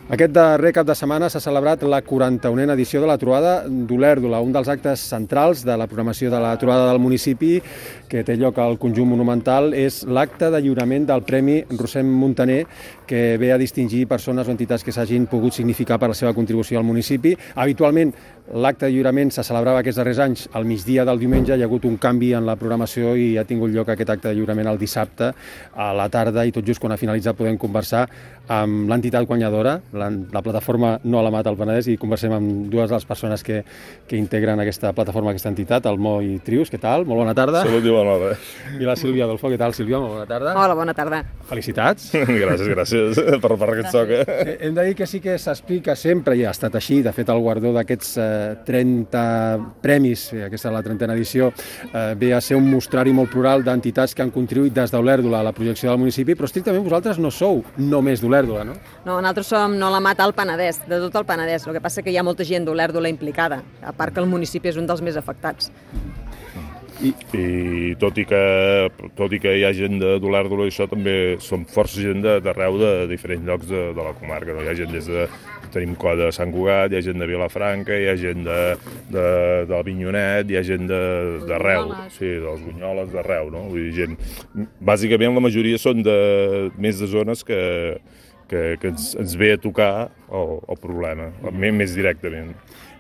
Aquest darrer cap de setmana s'ha celebrat la 41a edició de la Trobada d'Olèrdola, un dels actes centrals de la programació de la Trobada del municipi, que té lloc al conjunt monumental, és l'acte de lliurament del Premi Rossem Muntaner, que ve a distingir persones o entitats que s'hagin pogut significar per la seva contribució al municipi. Habitualment, l'acte de lliurament se celebrava aquests darrers anys al migdia del diumenge. Hi ha hagut un canvi en la programació i ha tingut lloc aquest acte de lliurament el dissabte a la tarda, i tot just quan ha finalitzat podem conversar amb l'entitat guanyadora, la plataforma No a la Mata al Penedès, i conversem amb dues de les persones que integren aquesta plataforma, aquesta entitat, el Mo i Trius. Què tal? Molt bona tarda. Salut i bona hora. I la Sílvia Adolfo. Què tal, Sílvia? Molt bona tarda. Hola, bona tarda. Felicitats. Gràcies per aquest soc. Hem de dir que sí que s'explica sempre, i ha estat així, de fet el guardó d'aquests 30 premis, aquesta és la 30a edició, ve a ser un mostrari molt plural d'entitats que han contribuït des d'Olèrdola a la projecció del municipi, però estrictament vosaltres no sou només d'Olèrdola, no? No, nosaltres som No a la Mata al Penedès, de tot el Penedès. El que passa que hi ha molta gent d'Olèrdola implicada, a part que el municipi és un dels més afectats. I tot i que hi ha gent d'Olèrdola, això també som força gent d'arreu de diferents llocs de la comarca. No? Hi ha gent tenim colla de Sant Cugat, hi ha gent de Vilafranca, hi ha gent del Vinyonet, hi ha gent d'arreu, sí, dels Bunyoles, d'arreu, no? Vull dir, bàsicament la majoria són més de zones que ens ve a tocar el problema, més directament.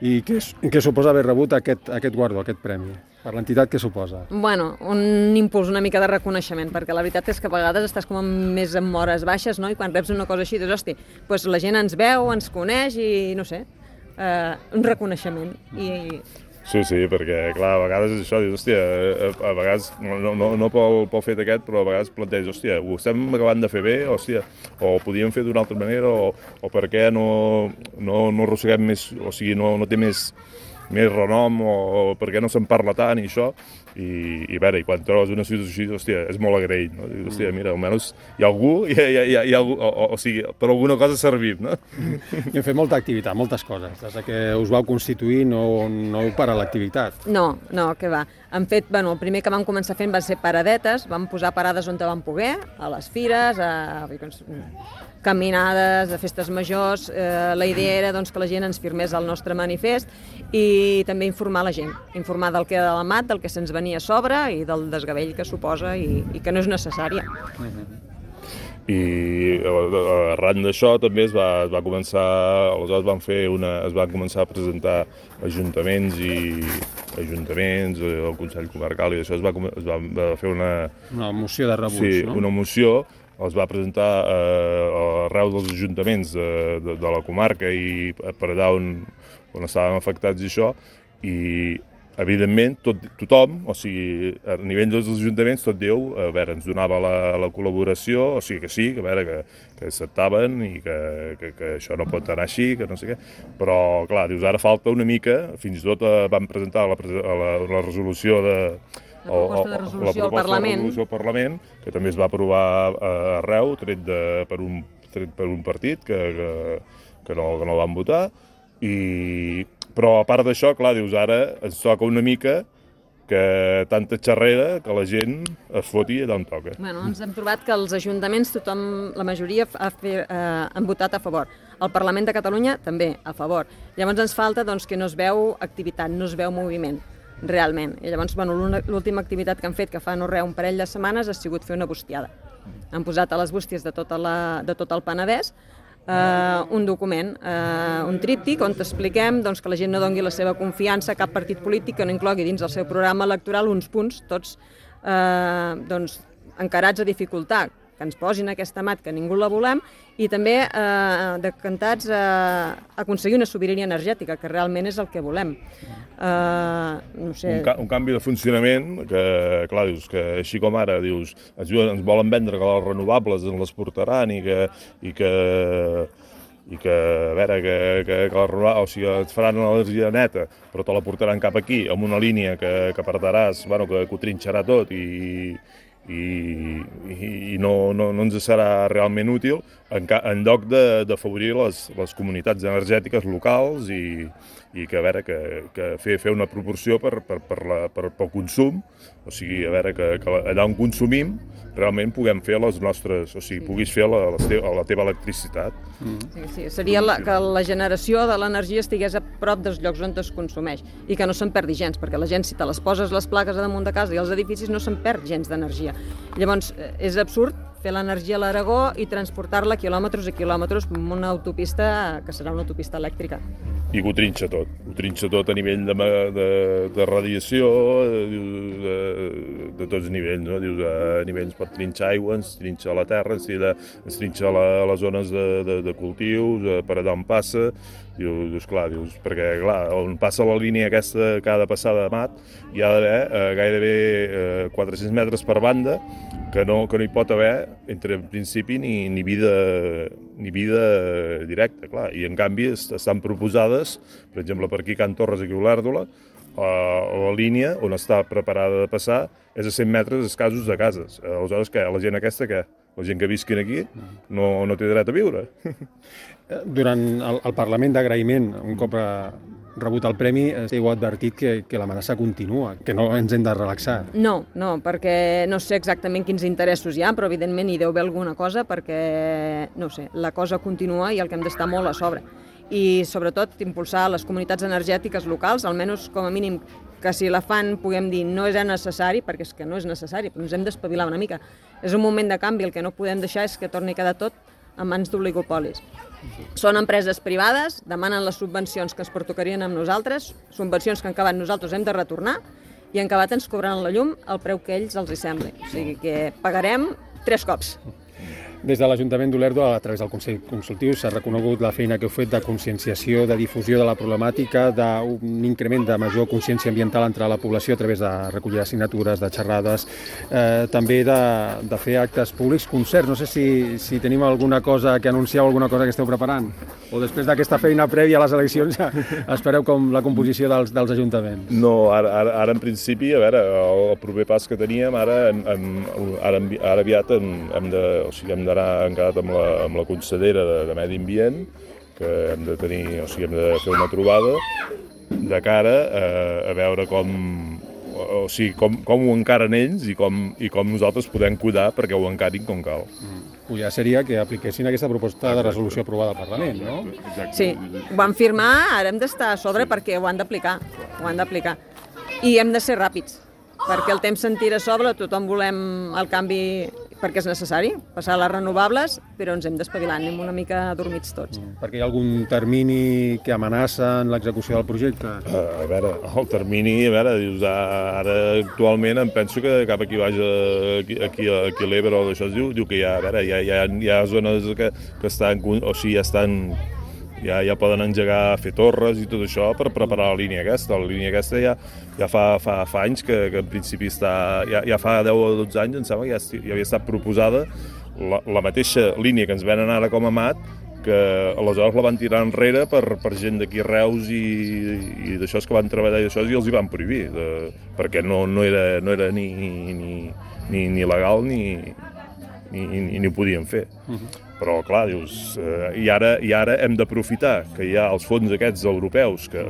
I què suposa haver rebut aquest guardó, aquest premi? Per l'entitat, què suposa? Bueno, un impuls, una mica de reconeixement, perquè la veritat és que a vegades estàs com més amb hores baixes, no? I quan reps una cosa així, dius, hosti, doncs la gent ens veu, ens coneix i, no sé, un reconeixement. Sí, perquè, clar, a vegades és això, dius, hòstia, a vegades, no pel fet aquest, però a vegades planteges, hòstia, ho estem acabant de fer bé, hòstia, o ho podíem fer d'una altra manera, o per què no arrosseguem més, o sigui, no té més renom, o per què no se'n parla tant i això, i a veure, quan trobes una situació així, hòstia, és molt agraït, no? Dius, hòstia, mira, almenys hi ha algú, hi ha algú, o sigui, per alguna cosa ha servit, no? I hem fet molta activitat, moltes coses. Des que us vau constituir no heu parat l'activitat. No, què va. Han fet, el primer que vam començar fent van ser paradetes, vam posar parades on vam poder, a les fires, a caminades, a festes majors. La idea era que la gent ens firmés el nostre manifest i també informar la gent, informar del que era de la mat, del que se'ns venia a sobre i del desgavell que suposa i que no és necessària. I arran d'això també es va començar, aleshores es van començar a presentar ajuntaments, el Consell Comarcal, i això es va fer una moció de rebuig, sí, no? Una moció, els va presentar arreu dels ajuntaments de la comarca i per allà on estàvem afectats i això, i evidentment tothom, o sigui, a nivell dels ajuntaments, tot diu, a veure, ens donava la col·laboració, o sigui que sí, que a veure, que acceptaven i que això no pot anar així, que no sé què, però clar, dius, ara falta una mica, fins i tot van presentar la resolució La proposta de resolució al Parlament, que també es va aprovar arreu, tret per un partit que no van votar, però a part d'això, clar, dius, ara ens toca una mica que tanta xerrera que la gent es foti allà on toca. Ens hem trobat que els ajuntaments, la majoria han votat a favor. El Parlament de Catalunya també a favor. Llavors ens falta que no es veu activitat, no es veu moviment, realment. I llavors, l'última activitat que han fet, que fa no res, un parell de setmanes, ha sigut fer una bustiada. Han posat a les bústies de tot el Penedès un document, un tríptic, on expliquem que la gent no doni la seva confiança a cap partit polític que no inclogui dins el seu programa electoral uns punts tots encarats a dificultar que ens posin aquesta mat, que ningú la volem, i també decantats a aconseguir una sobirania energètica, que realment és el que volem. No sé. Un canvi de funcionament que, clar, dius que així com ara, dius, ens volen vendre que les renovables ens les portaran i que a veure, que les renovables, o sigui, et faran energia neta, però te la portaran cap aquí, amb una línia que perdràs, que ho trinxarà tot i i no ens serà realment útil en lloc d'afavorir les comunitats energètiques locals i que, a veure, que fer una proporció pel consum, o sigui, a veure, que allà on consumim realment puguem fer les nostres, o sigui, puguis fer la teva electricitat. Sí, seria que la generació de l'energia estigués a prop dels llocs on es consumeix i que no se'n perdi gens, perquè la gent, si te les poses les plaques a damunt de casa i els edificis, no se'n perd gens d'energia. Llavors, és absurd fer l'energia a l'Aragó i transportar-la quilòmetres i quilòmetres amb una autopista que serà una autopista elèctrica. I que ho trinxa tot a nivell de radiació, de tots nivells, no? Dius, a nivells pot trinxar aigua, ens trinxa la terra, ens trinxa les zones de cultius, per allà on passa. Dius, perquè clar, on passa la línia aquesta que ha de passar de mat, hi ha d'haver gairebé 400 metres per banda, que no hi pot haver, en principi, ni vida directa, clar. I en canvi estan proposades, per exemple, per aquí a Can Torres, aquí a Olèrdola, la línia on està preparada de passar és a 100 metres escassos de cases. Aleshores, què? La gent aquesta, què? La gent que visqui aquí no té dret a viure. Durant el Parlament d'Agraïment, un cop rebut el premi, heu advertit que l'amenaça continua, que no ens hem de relaxar. No, perquè no sé exactament quins interessos hi ha, però evidentment hi deu haver alguna cosa perquè, no sé, la cosa continua i el que hem d'estar molt a sobre. I sobretot impulsar les comunitats energètiques locals, almenys com a mínim que si la fan puguem dir no és necessari, perquè és que no és necessari, però ens hem d'espavilar una mica. És un moment de canvi, el que no podem deixar és que torni a quedar tot en mans d'oligopolis. Són empreses privades, demanen les subvencions que es pertocarien amb nosaltres, subvencions que en acabat nosaltres hem de retornar, i en acabat ens cobraran la llum al preu que ells els hi sembli. O sigui que pagarem 3 cops. Des de l'Ajuntament d'Olèrdola, a través del Consell Consultiu, s'ha reconegut la feina que heu fet de conscienciació, de difusió de la problemàtica, d'un increment de major consciència ambiental entre la població a través de recollir assignatures, de xerrades, també de fer actes públics, concerts. No sé si tenim alguna cosa que anuncieu, alguna cosa que esteu preparant, o després d'aquesta feina prèvia a les eleccions ja espereu com la composició dels ajuntaments. No, ara en principi, a veure, el proper pas que teníem, ara aviat hem d'anar encarat amb la consellera de Medi Ambient, que hem de tenir, o sigui, hem de fer una trobada de cara a veure com ho encaren ells i com nosaltres podem cuidar perquè ho encarin com cal. Ja seria que apliquessin aquesta proposta de resolució aprovada al Parlament, no? Sí, ho van firmar, ara hem d'estar a sobre perquè ho han d'aplicar. I hem de ser ràpids, perquè el temps se'n tira a sobre, tothom volem el canvi perquè és necessari, passar a les renovables, però ens hem d'espavilar, anem una mica adormits tots. Perquè hi ha algun termini que amenaça en l'execució del projecte? A veure, el termini, dius, ara actualment em penso que cap aquí baix, aquí a l'Ebre o d'això, diu que hi ha zones que estan, o sigui, ja poden engegar a fer torres i tot això per preparar la línia aquesta. La línia aquesta ja fa anys que en principi ja fa 10 o 12 anys, em sembla que ja havia estat proposada la mateixa línia que ens venen ara com a mat, que aleshores la van tirar enrere per gent d'aquí Reus i d'això que van treballar i d'això i els hi van prohibir, perquè no era ni legal ni ho podien fer. Però, clar, dius, i ara hem d'aprofitar que hi ha els fons aquests europeus que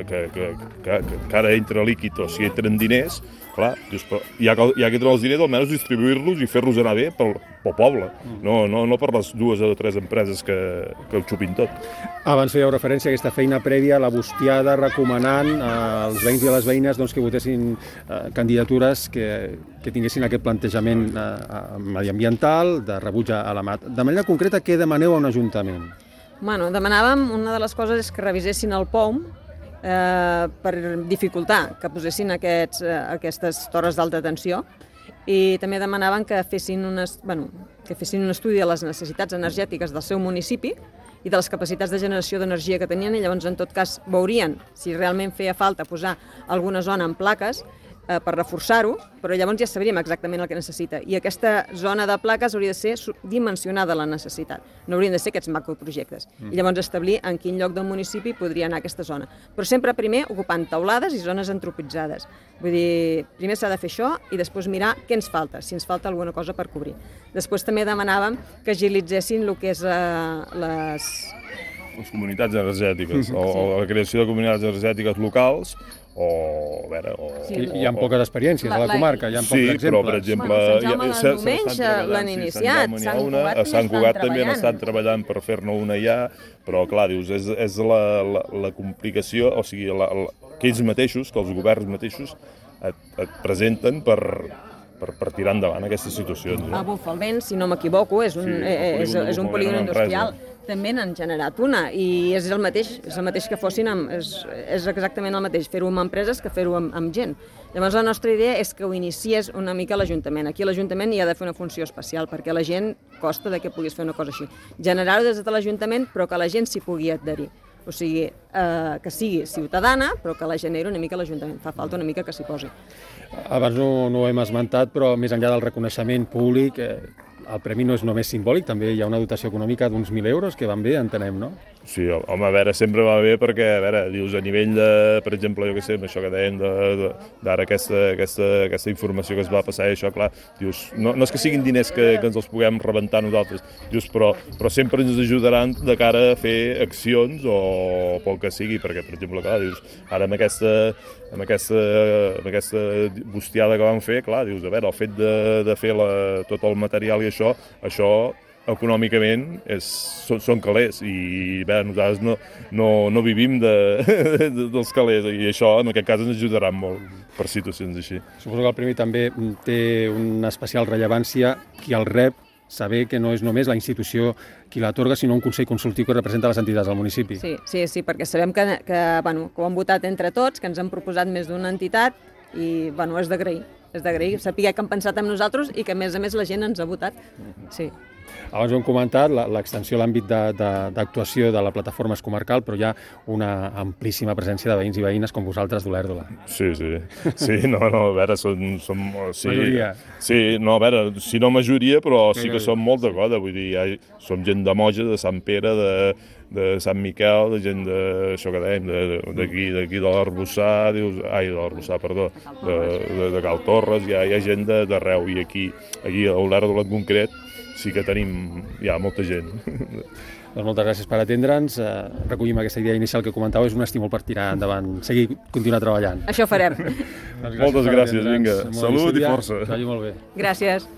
ara entra líquid, o sigui, entren diners, clar, dius, ja que tenen els diners, almenys distribuir-los i fer-los anar bé pel poble, no per les 2 o 3 empreses que ho xupin tot. Abans fèieu referència a aquesta feina prèvia, la bustiada, recomanant als veïns i a les veïnes que votessin candidatures que tinguessin aquest plantejament mediambiental, de rebuig a la mat. De manera concreta, què demaneu a un ajuntament? Bueno, demanàvem, una de les coses és que revisessin el POUM per dificultar que posessin aquestes torres d'alta tensió, i també demanaven que fessin un estudi de les necessitats energètiques del seu municipi i de les capacitats de generació d'energia que tenien, i llavors en tot cas veurien si realment feia falta posar alguna zona en plaques per reforçar-ho, però llavors ja sabríem exactament el que necessita. I aquesta zona de plaques hauria de ser dimensionada la necessitat. No haurien de ser aquests macroprojectes. I llavors establir en quin lloc del municipi podria anar aquesta zona. Però sempre primer ocupant teulades i zones antropitzades. Vull dir, primer s'ha de fer això i després mirar què ens falta, si ens falta alguna cosa per cobrir. Després també demanàvem que agilitzessin el que és les comunitats energètiques, o la creació de comunitats energètiques locals, o... Hi ha poques experiències a la comarca, hi ha pocs exemples. Sí, però, per exemple... Sant Jaume de Domenys l'han iniciat, a Sant Cugat també han estat treballant per fer-ne una ja, però, clar, dius, és la complicació, o sigui, que ells mateixos, que els governs mateixos et presenten per tirar endavant aquestes situacions. A Bufalvent, si no m'equivoco, és un polígon industrial. També n'han generat una i és el mateix que fossin és exactament el mateix fer-ho amb empreses que fer-ho amb gent. Llavors la nostra idea és que ho iniciés una mica l'Ajuntament. Aquí l'Ajuntament hi ha de fer una funció especial perquè la gent costa que puguis fer una cosa així. Generar-ho des de l'Ajuntament però que la gent s'hi pugui adherir. O sigui, que sigui ciutadana però que la generi una mica l'Ajuntament. Fa falta una mica que s'hi posi. Abans no ho hem esmentat, però més enllà del reconeixement públic, el premi no és només simbòlic, també hi ha una dotació econòmica d'uns 1.000 euros, que van bé, entenem, no? Sí, home, a veure, sempre va bé perquè, a veure, dius, a nivell de, per exemple, jo què sé, això que dèiem d'ara aquesta informació que es va passar i això, clar, dius, no és que siguin diners que ens els puguem rebentar nosaltres, dius, però sempre ens ajudaran de cara a fer accions o pel que sigui, perquè, per exemple, clar, dius, ara amb aquesta bustiada que van fer, clar, dius, a veure, el fet de fer tot el material i això econòmicament són calés i bé, nosaltres no vivim dels calés i això en aquest cas ens ajudarà molt per situacions així. Suposo que el premi també té una especial rellevància qui el rep, saber que no és només la institució qui l'atorga, sinó un consell consultiu que representa les entitats del municipi. Sí, perquè sabem que ho han votat entre tots, que ens han proposat més d'una entitat i és d'agrair, saber que han pensat en nosaltres i que a més la gent ens ha votat. Sí. Abans ho hem comentat, l'extensió a l'àmbit d'actuació de la plataforma és comarcal, però hi ha una amplíssima presència de veïns i veïnes com vosaltres d'Olèrdola. Sí, a veure, som... Majoria. Sí, a veure, si no majoria, però sí que som molt de coda, vull dir, som gent de Moja, de Sant Pere, de Sant Miquel, de gent això que dèiem, d'aquí de l'Arbossar, de Cal Torres, hi ha gent d'arreu, i aquí a Olèrdola en concret, sí que tenim ja molta gent. Doncs moltes gràcies per atendre'ns. Recollim aquesta idea inicial que comentàveu, és un estímul per tirar endavant, continuar treballant. Això farem. Moltes gràcies, vinga. Salut i força. Que vagi molt bé. Gràcies.